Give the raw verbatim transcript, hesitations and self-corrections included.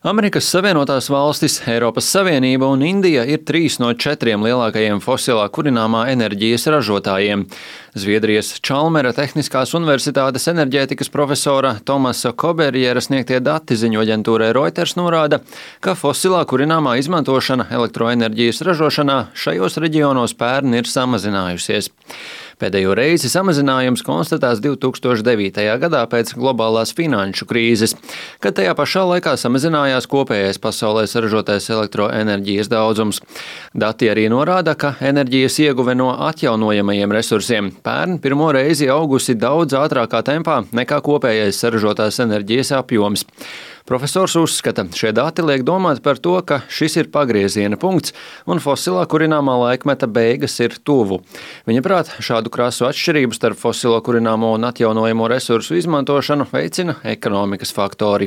Amerikas Savienotās valstis, Eiropas Savienība un Indija ir trīs no četriem lielākajiem fosilā kurināmā enerģijas ražotājiem. Zviedrijas Čalmera Tehniskās universitātes enerģētikas profesora Tomasa Koberjera sniegtie dati ziņu aģentūrai Reuters norāda, ka fosilā kurināmā izmantošana elektroenerģijas ražošanā šajos reģionos pērn ir samazinājusies. Pēdējo reizi samazinājums konstatēts divi tūkstoši devītajā gadā pēc globālās finanšu krīzes, kad tajā pašā laikā samazinājās kopējais pasaulē saražotais elektroenerģijas daudzums. Dati arī norāda, ka enerģijas ieguve no atjaunojamajiem resursiem pērn pirmo reizi augusi daudz ātrākā tempā nekā kopējais saražotās enerģijas apjoms. Profesors uzskata, šie dati liek domāt par to, ka šis ir pagrieziena punkts un fosilā kurināmā laikmeta beigas ir tuvu. Viņa prāt, šādu krasu atšķirību starp fosilo kurināmo un atjaunojamo resursu izmantošanu veicina ekonomikas faktori.